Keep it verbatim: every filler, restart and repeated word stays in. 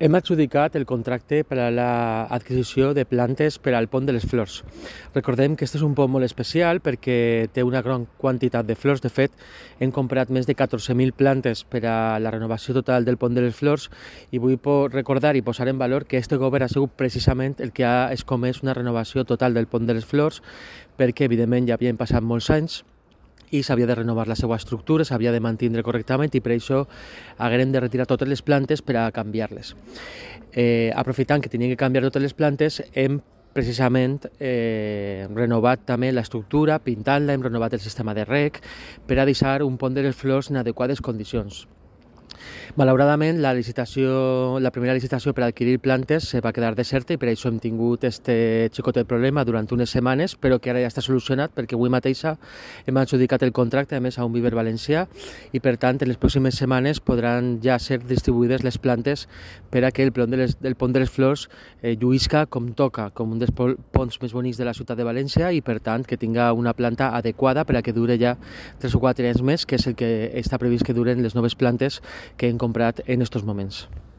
Hem adjudicat el contracte per a l'adquisició de plantes per al Pont de les Flors. Recordem que aquest és un pont molt especial perquè té una gran quantitat de flors. De fet, hem comprat més de catorze mil plantes per a la renovació total del Pont de les Flors i vull recordar i posar en valor que este govern ha sigut precisament el que ha escomès una renovació total del Pont de les Flors perquè, evidentment, ja havien passat molts anys i s'havia de renovar la seva estructura, s'havia de mantenir correctament i per això haguem de retirar totes les plantes per a canviar-les. Eh, aprofitant que tenien que canviar totes les plantes, hem precisament eh, renovat també l'estructura, pintant-la, hem renovat el sistema de reg per a deixar un Pont de les Flors en adequades condicions. Malauradament, la licitació, la primera licitació per adquirir plantes se va quedar deserta i per això hem tingut este xicotet problema durant unes setmanes, però que ara ja està solucionat perquè avui mateixa hem adjudicat el contracte, a més, a un viver valencià i, per tant, en les pròximes setmanes podran ja ser distribuïdes les plantes per a que el pont de les, del Pont de les Flors eh, lluïsca com toca, com un dels ponts més bonics de la ciutat de València i, per tant, que tinga una planta adequada per a que dure ja tres o quatre anys més, que és el que està previst que duren les noves plantes que hem comprat en estos moments.